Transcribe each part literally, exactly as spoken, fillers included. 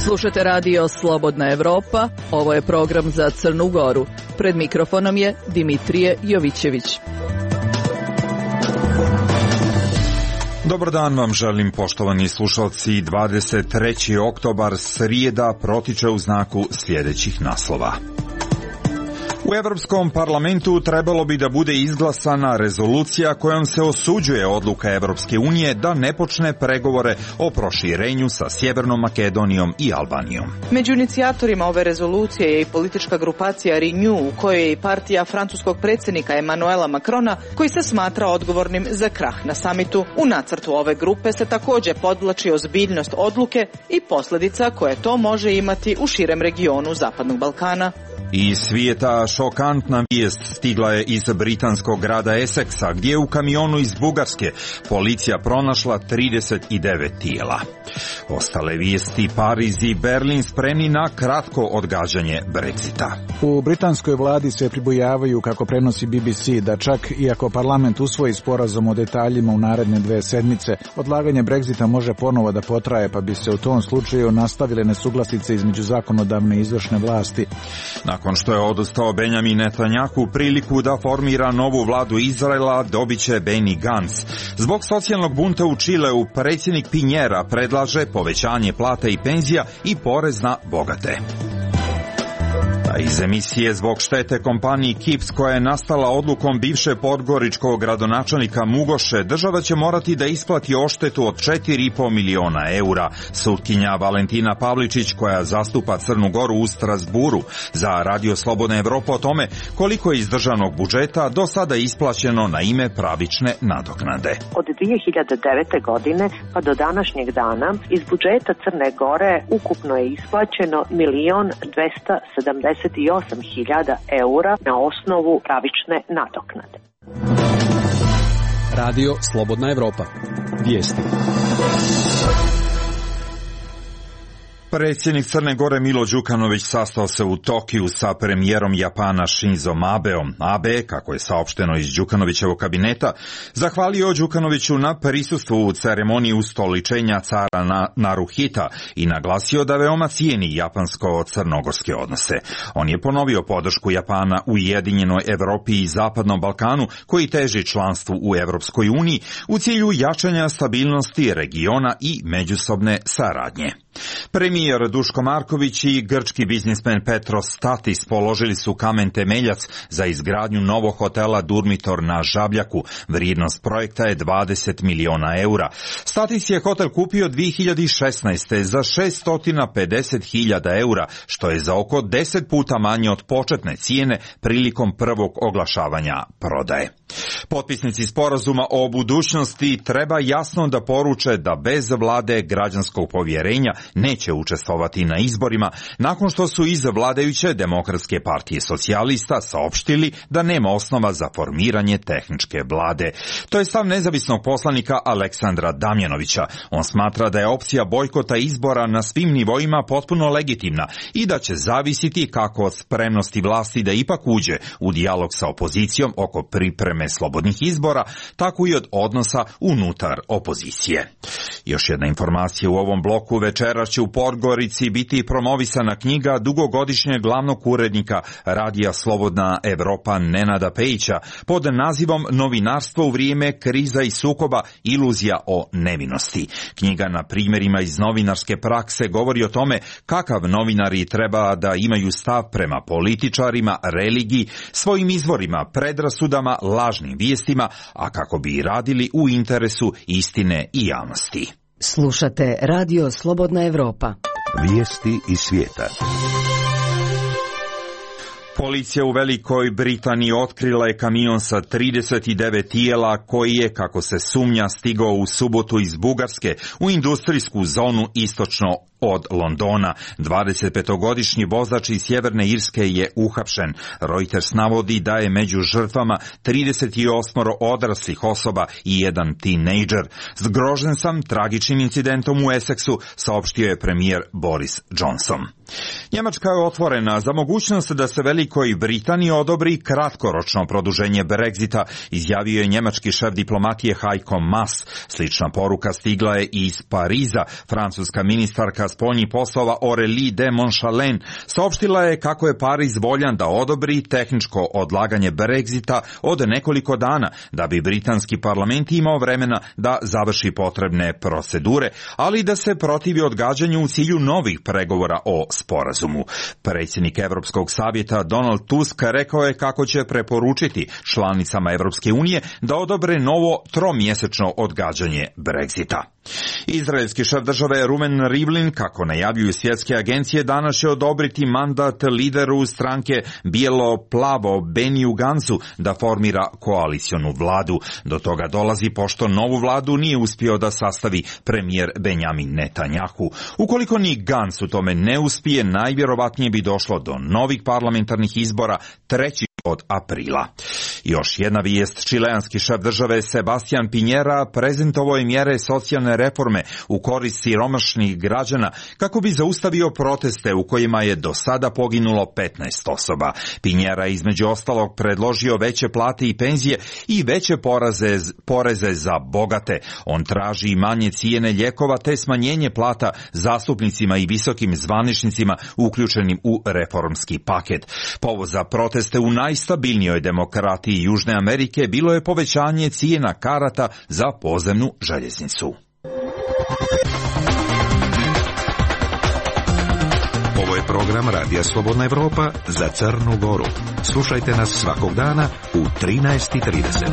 Slušate radio Slobodna Evropa, ovo je program za Crnu Goru. Pred mikrofonom je Dimitrije Jovićević. Dobar dan vam želim, poštovani slušalci. dvadeset treći oktobar, srijeda, protiče u znaku sljedećih naslova. U Evropskom parlamentu trebalo bi da bude izglasana rezolucija kojom se osuđuje odluka Evropske unije da ne počne pregovore o proširenju sa Sjevernom Makedonijom i Albanijom. Među inicijatorima ove rezolucije je i politička grupacija Renew, u kojoj je i partija francuskog predsjednika Emmanuela Macrona, koji se smatra odgovornim za krah na samitu. U nacrtu ove grupe se također podvlači ozbiljnost odluke i posljedica koje to može imati u širem regionu Zapadnog Balkana. Iz svijeta šokantna vijest stigla je iz britanskog grada Essexa, gdje je u kamionu iz Bugarske policija pronašla trideset devet tijela. Ostale vijesti: Pariz i Berlin spremni na kratko odgađanje Brexita. U britanskoj vladi se pribojavaju, kako prenosi B B C, da čak iako parlament usvoji sporazum o detaljima u naredne dve sedmice, odlaganje Brexita može ponovo da potraje, pa bi se u tom slučaju nastavile nesuglasice između zakonodavne i izvršne vlasti. Nakon što je odustao Benjamin Netanjahu, priliku da formira novu vladu Izraela dobit će Benny Gantz. Zbog socijalnog bunta u Čileu, predsjednik Pinjera predlaže povećanje plata i penzija i porez na bogate. A iz emisije zbog štete kompaniji Kips koja je nastala odlukom bivše podgoričkog gradonačelnika Mugoše, država će morati da isplati odštetu od četiri i po miliona eura. Sutkinja Valentina Pavličić, koja zastupa Crnu Goru u Strasburu, za Radio Slobodna Evropa o tome koliko je iz državnog budžeta do sada isplaćeno na ime pravične nadoknade. Od dvije hiljade devete. godine pa do današnjeg dana iz budžeta Crne Gore ukupno je isplaćeno milion dvesta sedamdeset osam hiljada eura na osnovu pravične nadoknade. Radio Slobodna Evropa. Vijesti. Predsjednik Crne Gore Milo Đukanović sastao se u Tokiju sa premijerom Japana Shinzom Abeom. Abe, kako je saopšteno iz Đukanovićevog kabineta, zahvalio Đukanoviću na prisustvu u ceremoniji ustoličenja cara na Naruhita i naglasio da veoma cijeni japansko-crnogorske odnose. On je ponovio podršku Japana u Ujedinjenoj Evropi i Zapadnom Balkanu, koji teži članstvu u Evropskoj uniji u cilju jačanja stabilnosti regiona i međusobne saradnje. Premijer Duško Marković i grčki biznismen Petros Statis položili su kamen temeljac za izgradnju novog hotela Durmitor na Žabljaku. Vrijednost projekta je dvadeset miliona eura. Statis je hotel kupio dvije hiljade šesnaeste. za šesto pedeset hiljada eura, što je za oko deset puta manje od početne cijene prilikom prvog oglašavanja prodaje. Potpisnici sporazuma o budućnosti treba jasno da poruče da bez vlade građanskog povjerenja neće učestvovati na izborima, nakon što su iz vladajuće Demokratske partije socijalista saopštili da nema osnova za formiranje tehničke vlade. To je stav nezavisnog poslanika Aleksandra Damjanovića. On smatra da je opcija bojkota izbora na svim nivoima potpuno legitimna i da će zavisiti kako od spremnosti vlasti da ipak uđe u dijalog sa opozicijom oko pripreme slobodnih izbora, tako i od odnosa unutar opozicije. Još jedna informacija u ovom bloku: večeras će u Podgorici biti promovisana knjiga dugogodišnjeg glavnog urednika Radija Slobodna Evropa Nenada Pejića pod nazivom Novinarstvo u vrijeme kriza i sukoba, iluzija o nevinosti. Knjiga na primjerima iz novinarske prakse govori o tome kakav novinari treba da imaju stav prema političarima, religiji, svojim izvorima, predrasudama, lažnim vijestima, a kako bi radili u interesu istine i javnosti. Slušate Radio Slobodna Evropa. Vijesti iz svijeta. Policija u Velikoj Britaniji otkrila je kamion sa trideset devet tijela koji je, kako se sumnja, stigao u subotu iz Bugarske u industrijsku zonu istočno od Londona. dvadesetpetogodišnji vozač iz Sjeverne Irske je uhapšen. Reuters navodi da je među žrtvama trideset osam odraslih osoba i jedan tinejdžer. Zgrožen sam tragičnim incidentom u Essexu, saopštio je premijer Boris Johnson. Njemačka je otvorena za mogućnost da se Velikoj Britaniji odobri kratkoročno produženje Brexita, izjavio je njemački šef diplomatije Heiko Maas. Slična poruka stigla je iz Pariza. Francuska ministarka spoljnih poslova Aurélie de Montchalin saopštila je kako je Pariz voljan da odobri tehničko odlaganje Brexita od nekoliko dana, da bi britanski parlament imao vremena da završi potrebne procedure, ali da se protivi odgađanju u cilju novih pregovora o sporazumu. Predsjednik Europskog savjeta Donald Tusk rekao je kako će preporučiti članicama Europske unije da odobre novo tromjesečno odgađanje Brexita. Izraelski šef države Ruven Rivlin, kako najavljuju svjetske agencije, danas će odobriti mandat lideru stranke bijelo-plavo Beniju Gansu da formira koalicionu vladu. Do toga dolazi pošto novu vladu nije uspio da sastavi premijer Benjamin Netanjahu. Ukoliko ni Gans u tome ne uspije, najvjerovatnije bi došlo do novih parlamentarnih izbora treći od aprila. Još jedna vijest, čileanski šef države Sebastian Piñera prezentovao je mjere socijalne reforme u korist siromašnih građana kako bi zaustavio proteste u kojima je do sada poginulo petnaest osoba. Piñera je između ostalog predložio veće plate i penzije i veće poreze, poreze za bogate. On traži manje cijene lijekova te smanjenje plata zastupnicima i visokim zvaničnicima uključenim u reformski paket. Povod za proteste u najstabilnijoj demokratiji Južne Amerike bilo je povećanje cijena karata za podzemnu željeznicu. Ovo je program Radija Slobodna Evropa za Crnu Goru. Slušajte nas svakog dana u trinaest i trideset.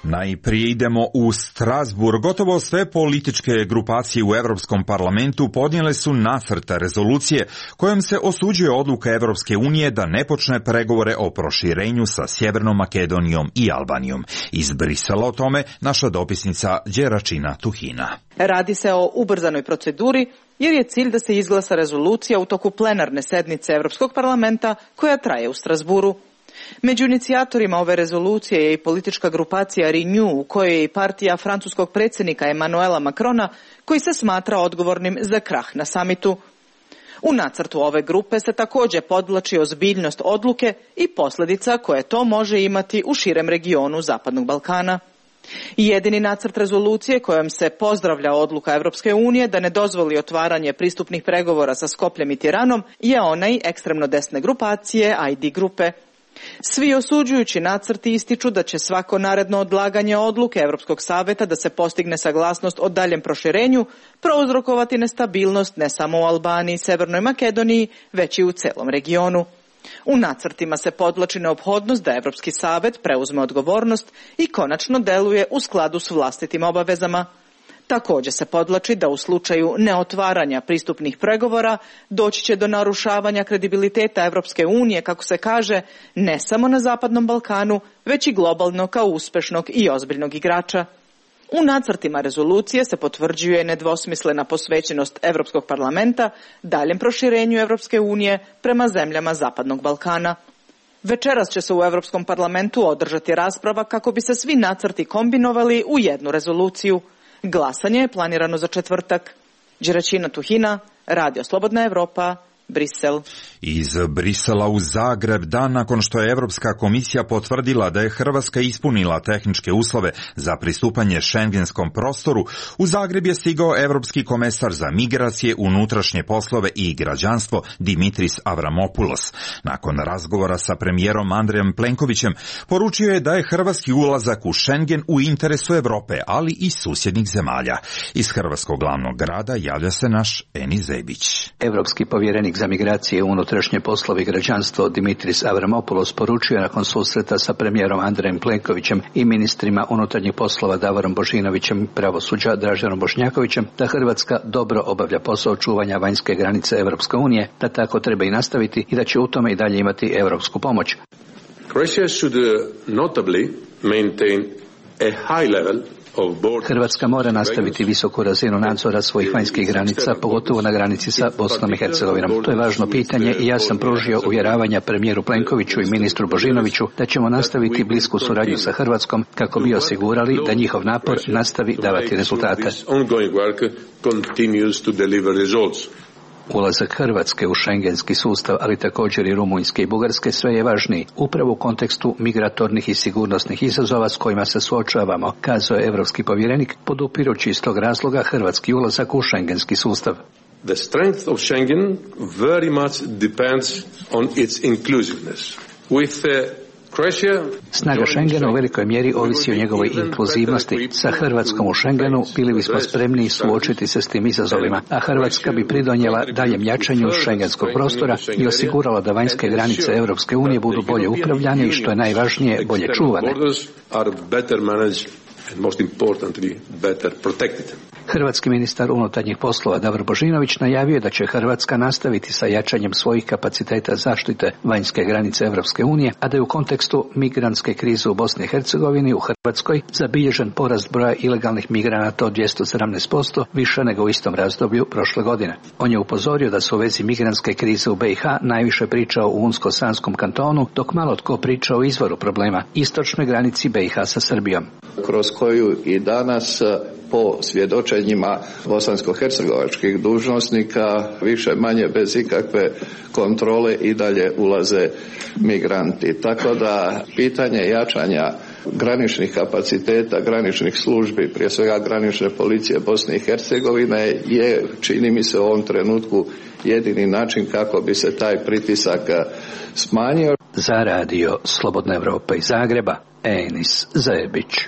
Najprije idemo u Strasburg. Gotovo sve političke grupacije u Europskom parlamentu podnijele su nacrt rezolucije kojom se osuđuje odluka Europske unije da ne počne pregovore o proširenju sa Sjevernom Makedonijom i Albanijom. Iz Brisela o tome naša dopisnica Đeračina Tuhina. Radi se o ubrzanoj proceduri jer je cilj da se izglasa rezolucija u toku plenarne sednice Europskog parlamenta koja traje u Strasburu. Među inicijatorima ove rezolucije je i politička grupacija Renew, u kojoj je i partija francuskog predsjednika Emmanuela Macrona, koji se smatra odgovornim za krah na samitu. U nacrtu ove grupe se također podvlači ozbiljnost odluke i posljedica koje to može imati u širem regionu Zapadnog Balkana. Jedini nacrt rezolucije kojom se pozdravlja odluka Europske unije da ne dozvoli otvaranje pristupnih pregovora sa Skopljem i Tiranom je onaj ekstremno desne grupacije I D grupe. Svi osuđujući nacrti ističu da će svako naredno odlaganje odluke Europskog savjeta da se postigne saglasnost o daljem proširenju prouzrokovati nestabilnost ne samo u Albaniji i Sjevernoj Makedoniji, već i u celom regionu. U nacrtima se podvlači neophodnost da Europski savjet preuzme odgovornost i konačno deluje u skladu s vlastitim obavezama. Također se podvlači da u slučaju neotvaranja pristupnih pregovora doći će do narušavanja kredibiliteta Europske unije, kako se kaže, ne samo na Zapadnom Balkanu, već i globalno kao uspješnog i ozbiljnog igrača. U nacrtima rezolucije se potvrđuje nedvosmislena posvećenost Europskog parlamenta daljem proširenju Europske unije prema zemljama Zapadnog Balkana. Večeras će se u Europskom parlamentu održati rasprava kako bi se svi nacrti kombinovali u jednu rezoluciju. Glasanje je planirano za četvrtak. Đeračina Tuhina, Radio Slobodna Evropa, Brisel. Iz Brisela u Zagreb, dan nakon što je Europska komisija potvrdila da je Hrvatska ispunila tehničke uslove za pristupanje šengenskom prostoru, u Zagreb je stigao Europski komesar za migracije, unutrašnje poslove i građanstvo Dimitris Avramopoulos. Nakon razgovora sa premijerom Andrejem Plenkovićem poručio je da je hrvatski ulazak u Schengen u interesu Europe, ali i susjednih zemalja. Iz hrvatskog glavnog grada javlja se naš Eni Zebić. Europski povjerenik za migracije, unutrašnje poslove i građanstvo Dimitris Avramopoulos poručio nakon susreta sa premijerom Andrejem Plenkovićem i ministrima unutarnjih poslova Davorom Božinovićem i pravosuđa Draženom Bošnjakovićem da Hrvatska dobro obavlja posao čuvanja vanjske granice Europske unije, da tako treba i nastaviti i da će u tome i dalje imati europsku pomoć. Croatia should notably maintain a high level. Hrvatska mora nastaviti visoku razinu nadzora svojih vanjskih granica, pogotovo na granici sa Bosnom i Hercegovinom. To je važno pitanje i ja sam pružio uvjeravanja premijeru Plenkoviću i ministru Božinoviću da ćemo nastaviti blisku suradnju sa Hrvatskom kako bi osigurali da njihov napor nastavi davati rezultate. Ulazak Hrvatske u šengenski sustav, ali također i Rumunjske i Bugarske, sve je važniji, upravo u kontekstu migratornih i sigurnosnih izazova s kojima se suočavamo, kazao je evropski povjerenik, podupirući iz tog razloga hrvatski ulazak u šengenski sustav. The strength of Schengen very much depends on its inclusiveness. With the Snaga Schengena u velikoj mjeri ovisi o njegovoj inkluzivnosti. Sa Hrvatskom u Schengenu bili bismo spremni suočiti se s tim izazovima, a Hrvatska bi pridonijela daljem jačanju šengenskog prostora i osigurala da vanjske granice Europske unije budu bolje upravljane i, što je najvažnije, bolje čuvane. Hrvatski ministar unutarnjih poslova Davor Božinović najavio da će Hrvatska nastaviti sa jačanjem svojih kapaciteta zaštite vanjske granice Europske unije, a da je u kontekstu migrantske krize u Bosni i Hercegovini u Hrvatskoj zabilježen porast broja ilegalnih migranata od dvjesto sedamnaest posto, više nego u istom razdoblju prošle godine. On je upozorio da se u vezi migrantske krize u B i H najviše pričao u Unsko-Sanskom kantonu, dok malo tko priča o izvoru problema, istočnoj granici B i H sa Srbijom. Kroz koju i danas po svjedočenjima bosansko-hercegovačkih dužnosnika više manje bez ikakve kontrole i dalje ulaze migranti. Tako da pitanje jačanja graničnih kapaciteta, graničnih službi, prije svega granične policije Bosne i Hercegovine je, čini mi se u ovom trenutku, jedini način kako bi se taj pritisak smanjio. Za radio Slobodna Evropa iz Zagreba, Enis Zajebić.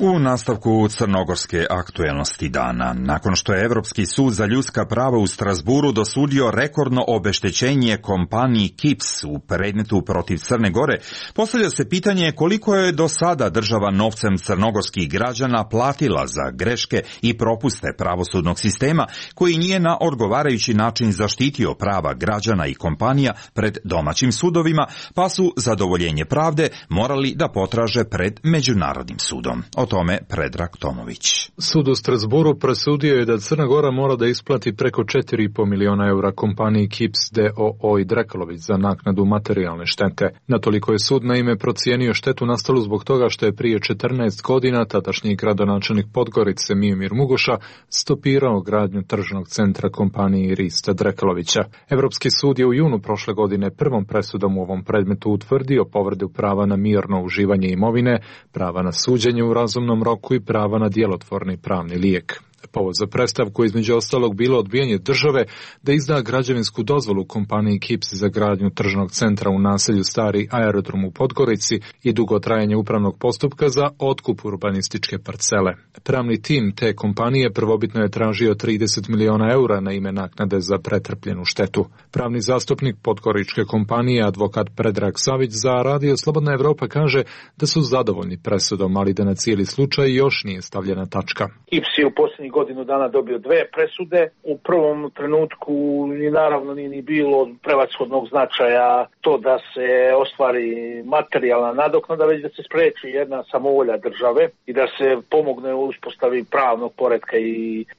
U nastavku crnogorske aktuelnosti dana, nakon što je Evropski sud za ljudska prava u Strasburu dosudio rekordno obeštećenje kompaniji Kips u predmetu protiv Crne Gore, postavlja se pitanje koliko je do sada država novcem crnogorskih građana platila za greške i propuste pravosudnog sistema koji nije na odgovarajući način zaštitio prava građana i kompanija pred domaćim sudovima, pa su zadovoljenje pravde morali da potraže pred Međunarodnim sudom. O tome Predrag Tomović. Sud u Strasburu presudio je da Crna Gora mora da isplati preko četiri i po miliona eura kompaniji Kips d o o i Drekalović za naknadu materijalne štete. Natoliko je sud naime procijenio štetu nastalu zbog toga što je prije četrnaest godina tadašnji gradonačelnik Podgorice Mijomir Mugoša stopirao gradnju tržnog centra kompaniji Rista Drekalovića. Evropski sud je u junu prošle godine prvom presudom u ovom predmetu utvrdio povredu prava na mirno uživanje imovine, prava na suđenje u razumnom roku i prava na djelotvorni pravni lijek. Povod za predstavku između ostalog bilo odbijanje države da izda građevinsku dozvolu kompaniji Kips za gradnju tržnog centra u naselju Stari aerodrom u Podgorici i dugo trajanje upravnog postupka za otkup urbanističke parcele. Pravni tim te kompanije prvobitno je tražio trideset miliona eura na ime naknade za pretrpljenu štetu. Pravni zastupnik podgoričke kompanije, advokat Predrag Savić, za radio Slobodna Evropa kaže da su zadovoljni presudom, ali da na cijeli slučaj još nije stavljena tačka. Kips je u posljednjih godinu dana dobio dve presude. U prvom trenutku ni naravno nije ni bilo prevashodnog značaja to da se ostvari materijalna nadoknada, već da se spriječi jedna samovolja države i da se pomogne u uspostavi pravnog poretka i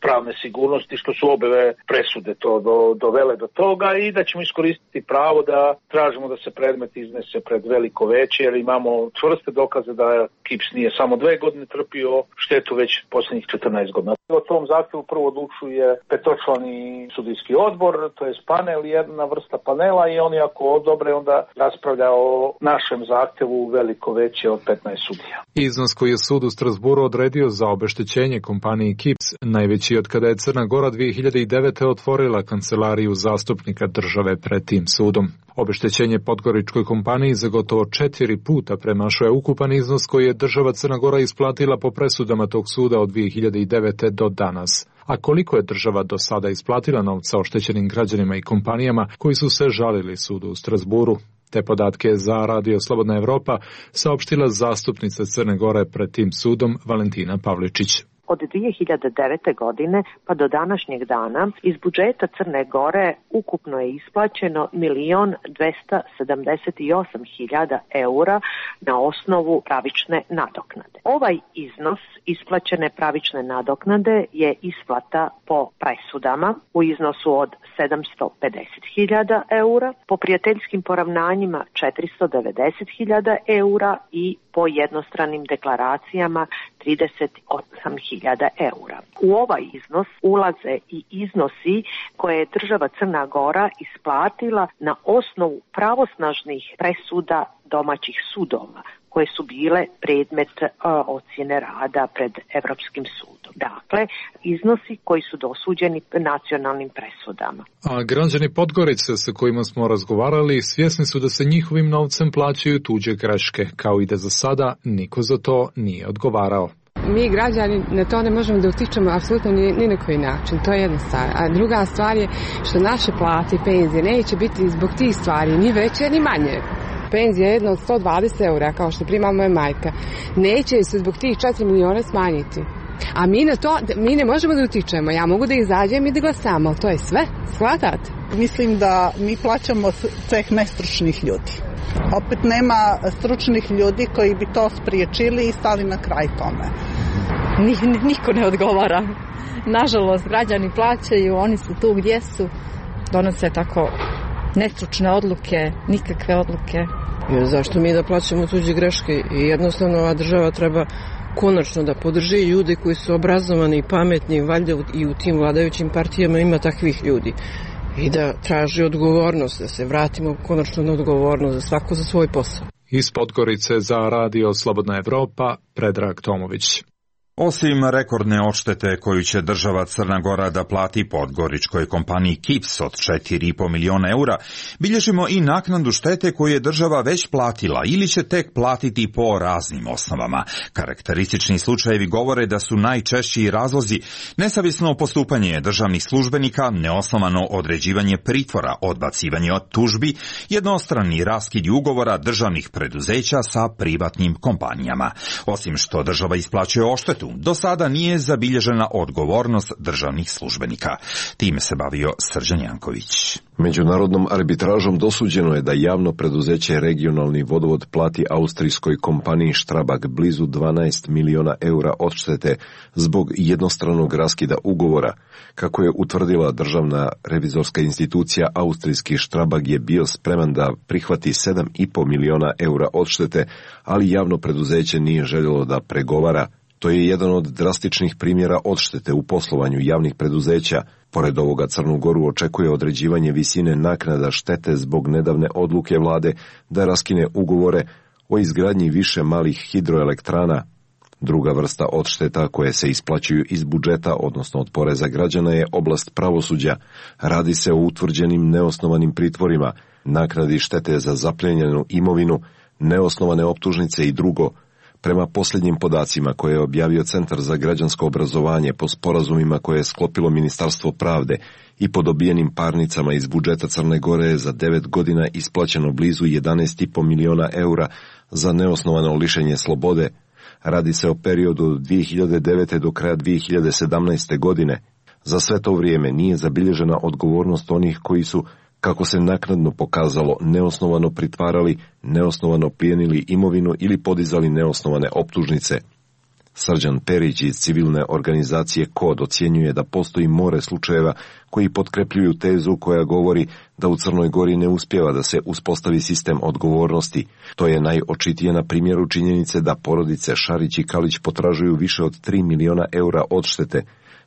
pravne sigurnosti, što su obe presude to do, dovele do toga, i da ćemo iskoristiti pravo da tražimo da se predmet iznese pred veliko veće, jer imamo čvrste dokaze da Kips nije samo dve godine trpio štetu, već posljednjih četrnaest godina. O tom zahtjevu prvo odlučuje petočlani sudijski odbor, to je panel, jedna vrsta panela, i oni ako odobre onda raspravlja o našem zahtjevu veliko veće od petnaest sudija. Iznos koji je sud u Strasburu odredio za obeštećenje kompaniji Kips najveći od kada je Crna Gora dvije hiljade devete. otvorila kancelariju zastupnika države pred tim sudom. Obeštećenje podgoričkoj kompaniji za gotovo četiri puta premašuje ukupan iznos koji je država Crna Gora isplatila po presudama tog suda od dvije hiljade devete. do danas. A koliko je država do sada isplatila novca oštećenim građanima i kompanijama koji su se žalili sudu u Strasburu? Te podatke za radio Slobodna Evropa saopštila zastupnica Crne Gore pred tim sudom Valentina Pavličić. Od dvije hiljade devete. godine pa do današnjeg dana iz budžeta Crne Gore ukupno je isplaćeno milion dvesta sedamdeset osam hiljada eura na osnovu pravične nadoknade. Ovaj iznos isplaćene pravične nadoknade je isplata po presudama u iznosu od sedamsto pedeset hiljada eura, po prijateljskim poravnanjima četiristo devedeset hiljada eura i po jednostranim deklaracijama trideset osam hiljada eura. U ovaj iznos ulaze i iznosi koje je država Crna Gora isplatila na osnovu pravosnažnih presuda domaćih sudova, koje su bile predmet uh, ocjene rada pred Evropskim sudom. Dakle, iznosi koji su dosuđeni nacionalnim presudama. A građani Podgorice sa kojima smo razgovarali svjesni su da se njihovim novcem plaćaju tuđe greške, kao i da za sada niko za to nije odgovarao. Mi građani na to ne možemo da utičemo apsolutno ni, ni na koji način, to je jedna stvar. A druga stvar je što naše plate i penzije neće biti zbog tih stvari ni veće ni manje. Penzija je jedna od sto dvadeset eura, kao što prima moja majka. Neće se zbog tih četiri miliona smanjiti. A mi na to, mi ne možemo da utičemo. Ja mogu da izađem i da glasam, ali to je sve. Shvatate? Mislim da mi plaćamo ceh nestručnih ljudi. Opet nema stručnih ljudi koji bi to spriječili i stali na kraj tome. Niko ne odgovara. Nažalost, građani plaćaju, oni su tu gdje su, donose tako nestručne odluke, nikakve odluke. Jer zašto mi da plaćamo tuđe greške i jednostavno ova država treba konačno da podrži ljude koji su obrazovani i pametni, valjda i u tim vladajućim partijama ima takvih ljudi. I da traži odgovornost, da se vratimo konačno na odgovornost za svako za svoj posao. Iz Podgorice za Radio Slobodna Evropa, Predrag Tomović. Osim rekordne odštete koju će država Crna Gora da plati podgoričkoj kompaniji Kips od četiri i po miliona eura, bilježimo i naknadu štete koju je država već platila ili će tek platiti po raznim osnovama. Karakteristični slučajevi govore da su najčešći razlozi nesavjesno postupanje državnih službenika, neosnovano određivanje pritvora, odbacivanje od tužbi, jednostrani raskidi ugovora državnih preduzeća sa privatnim kompanijama. Osim što država isplaćuje odštetu, do sada nije zabilježena odgovornost državnih službenika. Time se bavio Srđan Janković. Međunarodnom arbitražom dosuđeno je da javno preduzeće Regionalni vodovod plati austrijskoj kompaniji Strabag blizu dvanaest miliona eura odštete zbog jednostranog raskida ugovora. Kako je utvrdila državna revizorska institucija, austrijski Strabag je bio spreman da prihvati sedam i po miliona eura odštete, ali javno preduzeće nije željelo da pregovara. To je jedan od drastičnih primjera odštete u poslovanju javnih preduzeća. Pored ovoga Crnu Goru očekuje određivanje visine naknada štete zbog nedavne odluke vlade da raskine ugovore o izgradnji više malih hidroelektrana. Druga vrsta odšteta koje se isplaćuju iz budžeta, odnosno od poreza građana, je oblast pravosuđa. Radi se o utvrđenim neosnovanim pritvorima, naknadi štete za zapljenjenu imovinu, neosnovane optužnice i drugo. Prema posljednjim podacima koje je objavio Centar za građansko obrazovanje po sporazumima koje je sklopilo Ministarstvo pravde i po dobijenim parnicama iz budžeta Crne Gore je za devet godina isplaćeno blizu jedanaest i po miliona eura za neosnovano lišenje slobode. Radi se o periodu od dvije hiljade devete. do kraja dvije hiljade sedamnaeste. godine. Za sve to vrijeme nije zabilježena odgovornost onih koji su, kako se naknadno pokazalo, neosnovano pritvarali, neosnovano plijenili imovinu ili podizali neosnovane optužnice. Srđan Perić iz civilne organizacije Kod ocjenjuje da postoji more slučajeva koji potkrepljuju tezu koja govori da u Crnoj Gori ne uspijeva da se uspostavi sistem odgovornosti. To je najočitije na primjeru činjenice da porodice Šarić i Kalić potražuju više od tri miliona eura odštete,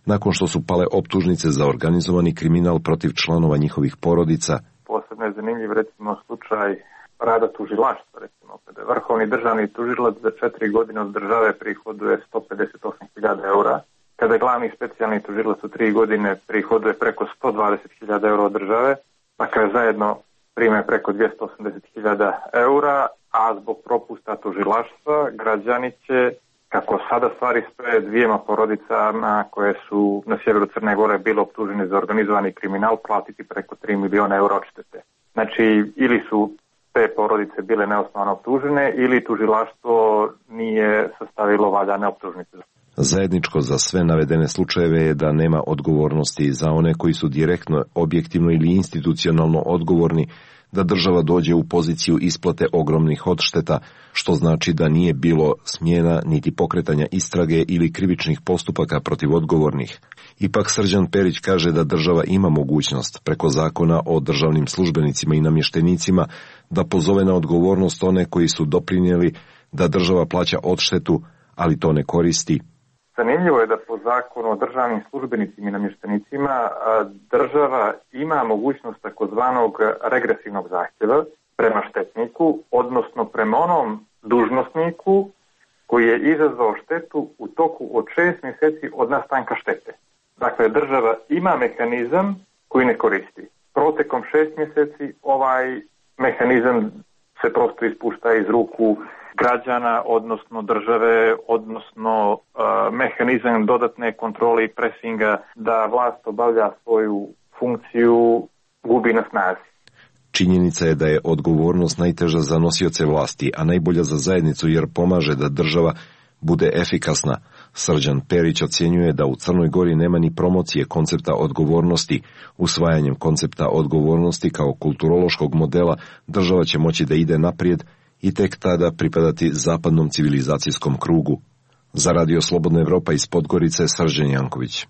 nakon što su pale optužnice za organizovani kriminal protiv članova njihovih porodica. Posebno je zanimljiv recimo slučaj rada tužilaštva, recimo kada je vrhovni državni tužilac za četiri godine od države prihoduje sto pedeset osam hiljada eura, kada je glavni specijalni tužilac u tri godine prihoduje preko sto dvadeset hiljada eura od države, pa kada zajedno prime preko dvjesto osamdeset hiljada eura, a zbog propusta tužilaštva građani će, kako sada stvari stoje, dvijema porodicama koje su na sjeveru Crne Gore bile optužene za organizovani kriminal platiti preko tri miliona eura odštete. Znači, ili su te porodice bile neosnovano optužene ili tužilaštvo nije sastavilo valjane optužnice. Zajedničko za sve navedene slučajeve je da nema odgovornosti za one koji su direktno, objektivno ili institucionalno odgovorni, da država dođe u poziciju isplate ogromnih odšteta, što znači da nije bilo smjena niti pokretanja istrage ili krivičnih postupaka protiv odgovornih. Ipak Srđan Perić kaže da država ima mogućnost preko zakona o državnim službenicima i namještenicima da pozove na odgovornost one koji su doprinijeli da država plaća odštetu, ali to ne koristi. Zanimljivo je da po zakonu o državnim službenicima i namještenicima država ima mogućnost takozvanog regresivnog zahtjeva prema štetniku, odnosno prema onom dužnosniku koji je izazvao štetu u toku od šest mjeseci od nastanka štete. Dakle, država ima mehanizam koji ne koristi. Protekom šest mjeseci ovaj mehanizam se prosto ispušta iz ruku građana, odnosno države, odnosno uh, mehanizam dodatne kontrole i presinga da vlast obavlja svoju funkciju gubi na snazi. Činjenica je da je odgovornost najteža za nosioce vlasti, a najbolja za zajednicu jer pomaže da država bude efikasna. Srđan Perić ocjenjuje da u Crnoj Gori nema ni promocije koncepta odgovornosti. Usvajanjem koncepta odgovornosti kao kulturološkog modela država će moći da ide naprijed i tek tada pripadati zapadnom civilizacijskom krugu. Za Radio Slobodna Evropa iz Podgorice, Srđan Janković.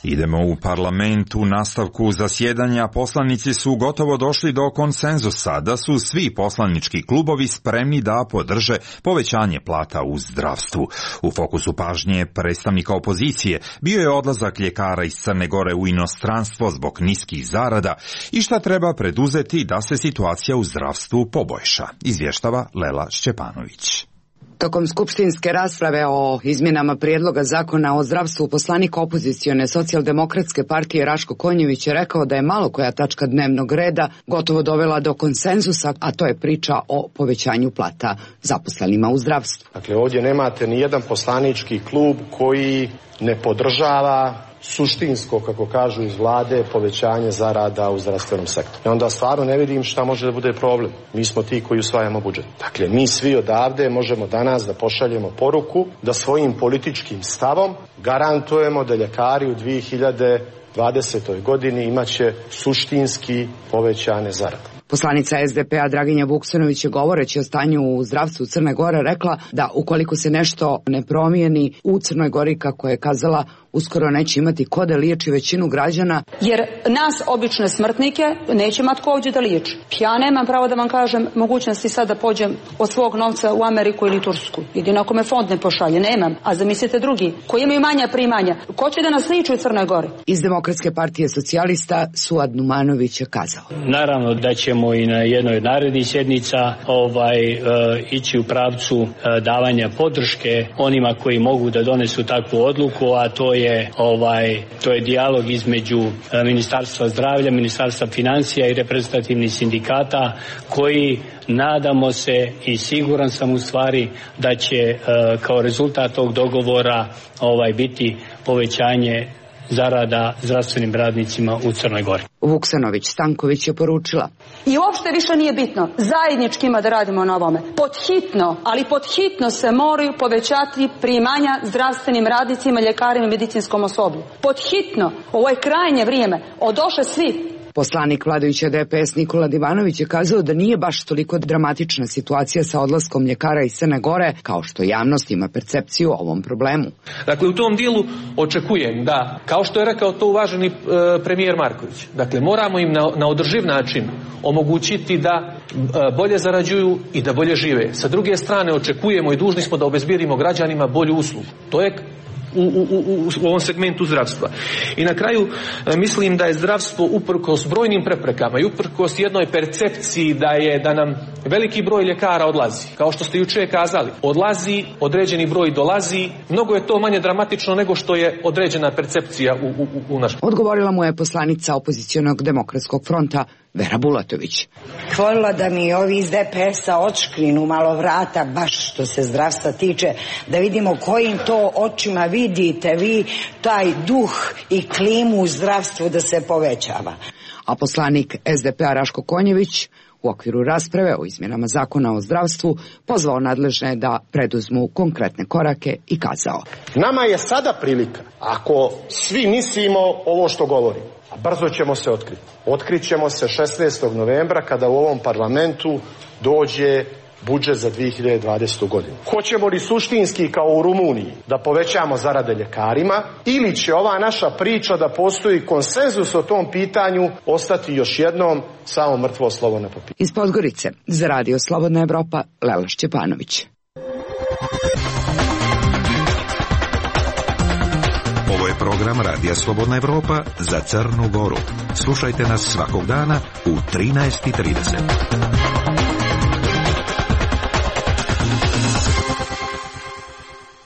Idemo u parlament. U nastavku zasjedanja poslanici su gotovo došli do konsenzusa da su svi poslanički klubovi spremni da podrže povećanje plata u zdravstvu. U fokusu pažnje predstavnika opozicije bio je odlazak ljekara iz Crne Gore u inostranstvo zbog niskih zarada i šta treba preduzeti da se situacija u zdravstvu poboljša, izvještava Lela Šćepanović. Tokom skupštinske rasprave o izmjenama prijedloga zakona o zdravstvu, poslanik opozicione socijaldemokratske partije Raško Konjević je rekao da je malo koja tačka dnevnog reda gotovo dovela do konsenzusa, a to je priča o povećanju plata zaposlenima u zdravstvu. Dakle, ovdje nemate ni jedan poslanički klub koji ne podržava suštinsko, kako kažu iz vlade, povećanje zarada u zdravstvenom sektoru. I onda stvarno ne vidim šta može da bude problem. Mi smo ti koji usvajamo budžet. Dakle, mi svi odavde možemo danas da pošaljemo poruku da svojim političkim stavom garantujemo da ljekari u dvije hiljade dvadesetoj godini imaće suštinski povećane zarade. Poslanica es de pe a Draginja Vuksanović je govoreći o stanju u zdravstvu Crne Gore rekla da ukoliko se nešto ne promijeni u Crnoj Gori, kako je kazala, uskoro neće imati ko da liječi većinu građana. Jer nas, obične smrtnike, neće imati ko ovdje da liječi. Ja nemam pravo da vam kažem mogućnosti sad da pođem od svog novca u Ameriku ili Tursku. Jedino ako me fond ne pošalje, nemam. A zamislite drugi, koji imaju manja primanja, ko će da nas liječi u Crnoj Gori? Iz Demokratske partije socijalista Suad Numanović je kazao. Naravno da ćemo i na jednoj od narednih sjednica ovaj, e, ići u pravcu e, davanja podrške onima koji mogu da donesu takvu odluku, a to je ovaj to je dijalog između e, Ministarstva zdravlja, Ministarstva financija i reprezentativnih sindikata koji, nadamo se i siguran sam u stvari da će e, kao rezultat tog dogovora ovaj biti povećanje zarada zdravstvenim radnicima u Crnoj Gori. Vuksanović Stanković je poručila. I uopšte više nije bitno. Zajednički ima da radimo na ovome. Pod hitno, ali pod hitno se moraju povećati primanja zdravstvenim radnicima, ljekarima i medicinskom osoblju. Pod hitno. Ovo je krajnje vrijeme. Odoše svi. Poslanik vladajuće de pe es Nikola Divanović je kazao da nije baš toliko dramatična situacija sa odlaskom ljekara iz Crne Gore, kao što javnost ima percepciju o ovom problemu. Dakle, u tom dijelu očekujem da, kao što je rekao to uvaženi e, premijer Marković, dakle, moramo im na, na održiv način omogućiti da e, bolje zarađuju i da bolje žive. Sa druge strane, očekujemo i dužni smo da obezbijedimo građanima bolju uslugu. To je U, u, u, u ovom segmentu zdravstva. I na kraju mislim da je zdravstvo uprkos brojnim preprekama i uprkos jednoj percepciji da je da nam veliki broj ljekara odlazi. Kao što ste jučer kazali, odlazi, određeni broj dolazi, mnogo je to manje dramatično nego što je određena percepcija u, u, u našem. Odgovorila mu je poslanica opozicionog demokratskog fronta Vera Bulatović. Hvala da mi ovi iz de pe es-a odškrinu malo vrata, baš što se zdravstva tiče, da vidimo kojim to očima vidite vi taj duh i klimu u zdravstvu da se povećava. A poslanik es de pe-a Raško Konjević u okviru rasprave o izmjenama zakona o zdravstvu pozvao nadležne da preduzmu konkretne korake i kazao: Nama je sada prilika, ako svi mislimo ovo što govorimo, a brzo ćemo se otkriti. Otkrit ćemo se šesnaestog novembra kada u ovom parlamentu dođe budžet za dvije hiljade dvadesete. godinu. Hoćemo li suštinski kao u Rumuniji da povećamo zarade ljekarima ili će ova naša priča da postoji konsenzus o tom pitanju ostati još jednom samo mrtvo slovo na papiru? Iz Podgorice za Radio Slobodna Evropa, Lela Šćepanović. Ovo je program Radija Slobodna Evropa za Crnu Goru. Slušajte nas svakog dana u trinaest i trideset.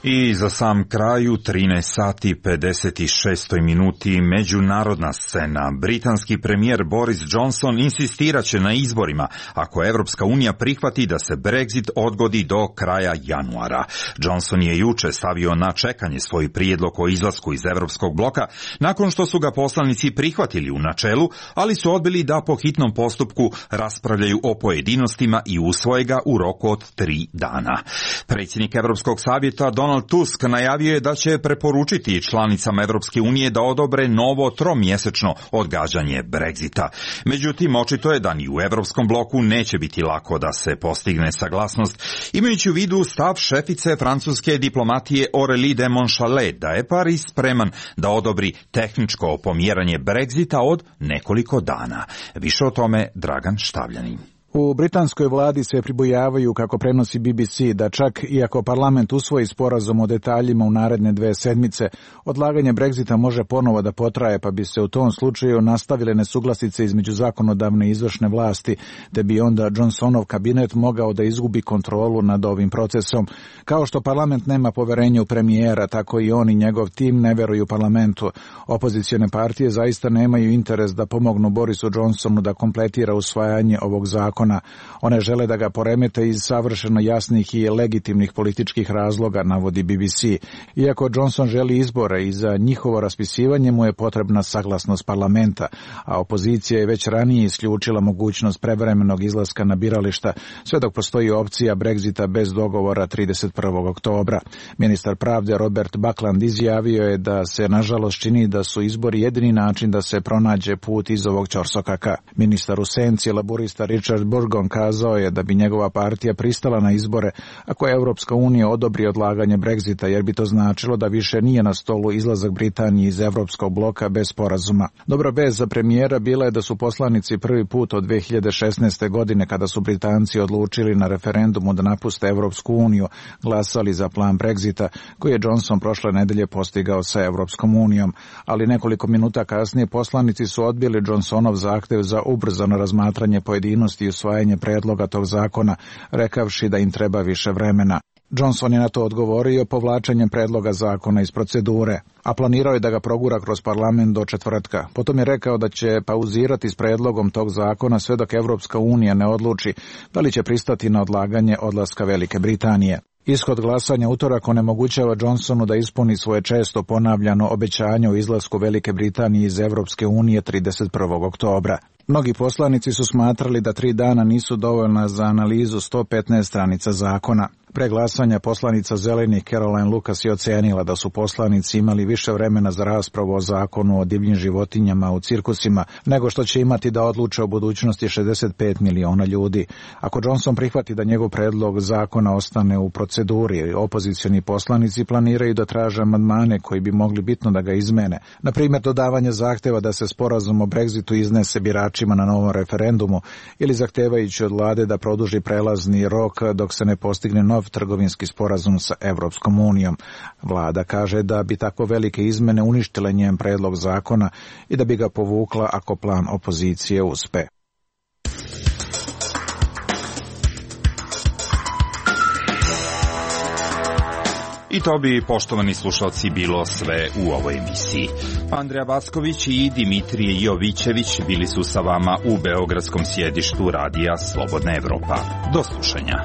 I za sam kraj u trinaest sati pedeset šest minuti međunarodna scena. Britanski premijer Boris Johnson insistiraće na izborima ako Evropska unija prihvati da se Brexit odgodi do kraja januara. Johnson je juče stavio na čekanje svoj prijedlog o izlasku iz Evropskog bloka nakon što su ga poslanici prihvatili u načelu, ali su odbili da po hitnom postupku raspravljaju o pojedinostima i usvoje ga u roku od tri dana. Predsjednik Evropskog savjeta Donald Tusk najavio je da će preporučiti članicama Evropske unije da odobre novo tromjesečno odgađanje Brexita. Međutim, očito je da ni u Evropskom bloku neće biti lako da se postigne saglasnost, imajući u vidu stav šefice francuske diplomatije Aurélie de Montchalin da je Pariz spreman da odobri tehničko pomjeranje Brexita od nekoliko dana. Više o tome Dragan Štavljanin. U britanskoj vladi se pribojavaju, kako prenosi B B C, da čak i ako parlament usvoji sporazum o detaljima u naredne dve sedmice, odlaganje Brexita može ponovo da potraje, pa bi se u tom slučaju nastavile nesuglasice između zakonodavne i izvršne vlasti, te bi onda Johnsonov kabinet mogao da izgubi kontrolu nad ovim procesom. Kao što parlament nema poverenja u premijera, tako i on i njegov tim ne veruju parlamentu. Opozicione partije zaista nemaju interes da pomognu Borisu Johnsonu da kompletira usvajanje ovog zakona. One žele da ga poremete iz savršeno jasnih i legitimnih političkih razloga, navodi B B C. Iako Johnson želi izbore i za njihovo raspisivanje mu je potrebna saglasnost parlamenta, a opozicija je već ranije isključila mogućnost prevremenog izlaska na birališta, sve dok postoji opcija Brexita bez dogovora trideset prvog oktobra. Ministar pravde Robert Buckland izjavio je da se nažalost čini da su izbori jedini način da se pronađe put iz ovog ćorsokaka. Ministar u senci laburista Richard Burgon kazao je da bi njegova partija pristala na izbore ako Evropska unija odobri odlaganje Brexita, jer bi to značilo da više nije na stolu izlazak Britanije iz Evropskog bloka bez sporazuma. Dobra vest za premijera bila je da su poslanici prvi put od dve hiljade šesnaeste. godine, kada su Britanci odlučili na referendumu da napuste Evropsku uniju, glasali za plan Brexita, koji je Johnson prošle nedelje postigao sa Evropskom unijom. Ali nekoliko minuta kasnije poslanici su odbili Johnsonov zahtev za ubrzano razmatranje pojedinosti i usvajanje predloga tog zakona, rekavši da im treba više vremena. Johnson je na to odgovorio povlačenjem predloga zakona iz procedure, a planirao je da ga progura kroz parlament do četvrtka. Potom je rekao da će pauzirati s predlogom tog zakona sve dok Evropska unija ne odluči da li će pristati na odlaganje odlaska Velike Britanije. Ishod glasanja utorak onemogućava Johnsonu da ispuni svoje često ponavljano obećanje o izlasku Velike Britanije iz Evropske unije trideset prvog oktobra. Mnogi poslanici su smatrali da tri dana nisu dovoljna za analizu sto petnaest stranica zakona. Pre glasanja poslanica Zelenih Caroline Lucas je ocenila da su poslanici imali više vremena za raspravu o zakonu o divljim životinjama u cirkusima nego što će imati da odluče o budućnosti šezdeset pet miliona ljudi. Ako Johnson prihvati da njegov predlog zakona ostane u proceduri, opozicioni poslanici planiraju da traže amandmane koji bi mogli bitno da ga izmene. Na primjer, dodavanje zahteva da se sporazum o Brexitu iznese biračima na novom referendumu ili zahtevajući od vlade da produži prelazni rok dok se ne postigne nov trgovinski sporazum sa Evropskom unijom. Vlada kaže da bi tako velike izmene uništile njen predlog zakona i da bi ga povukla ako plan opozicije uspe. I to bi, poštovani slušalci, bilo sve u ovoj emisiji. Andreja Backović i Dimitrije Jovićević bili su sa vama u beogradskom sjedištu Radija Slobodna Evropa. Do slušanja.